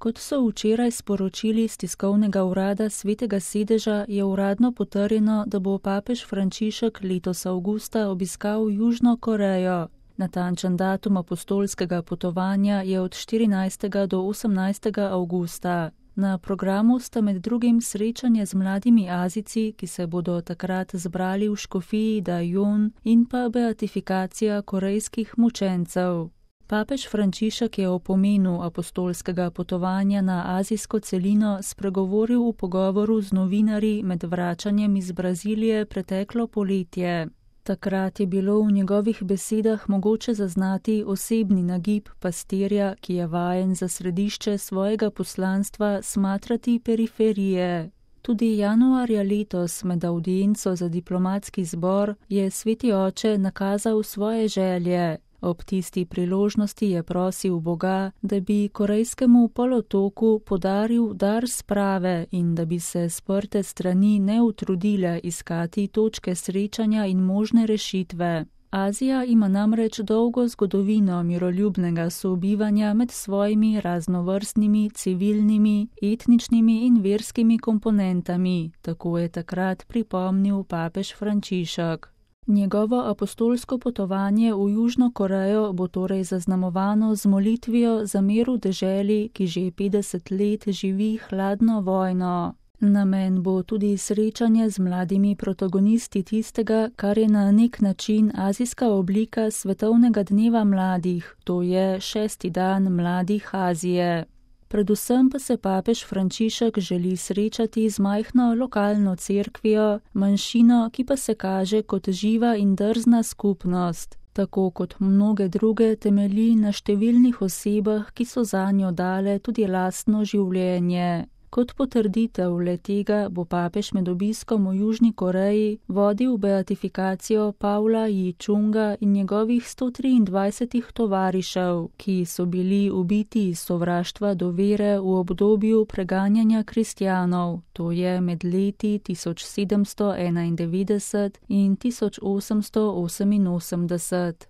Kot so včeraj sporočili z tiskovnega urada Svetega sedeža, je uradno potrjeno, da bo papež Frančišek letos avgusta obiskal Južno Korejo. Natančen datum apostolskega potovanja je od 14. do 18. avgusta. Na programu sta med drugim srečanje z mladimi Azijci, ki se bodo takrat zbrali v škofiji Daejeon, in pa beatifikacija korejskih mučencev. Papež Frančišek je o pomenu apostolskega potovanja na azijsko celino spregovoril v pogovoru z novinarji med vračanjem iz Brazilije preteklo poletje. Takrat je bilo v njegovih besedah mogoče zaznati osebni nagib pastirja, ki je vajen za središče svojega poslanstva smatrati periferije. Tudi januarja letos med avdienco za diplomatski zbor je sveti oče nakazal svoje želje. Ob tisti priložnosti je prosil Boga, da bi korejskemu polotoku podaril dar sprave in da bi se sprte strani ne utrudile iskati točke srečanja in možne rešitve. Azija ima namreč dolgo zgodovino miroljubnega sobivanja med svojimi raznovrstnimi civilnimi, etničnimi in verskimi komponentami, tako je takrat pripomnil papež Frančišek. Njegovo apostolsko potovanje v Južno Korejo bo torej zaznamovano z molitvijo za mir v deželi, ki že 50 let živi hladno vojno. Namen bo tudi srečanje z mladimi protagonisti tistega, kar je na nek način azijska oblika svetovnega dneva mladih, to je 6. dan mladih Azije. Predvsem pa se papež Frančišek želi srečati z majhno lokalno cerkvijo, manjšino, ki pa se kaže kot živa in drzna skupnost. Tako kot mnoge druge temelji na številnih osebah, ki so zanjo dale tudi lastno življenje. Kot potrditev le-tega bo papež med obiskom v Južni Koreji vodil beatifikacijo Pavla Ji-čunga in njegovih 123 tovarišev, ki so bili ubiti iz sovraštva do vere v obdobju preganjanja kristjanov, to je med leti 1791 in 1888.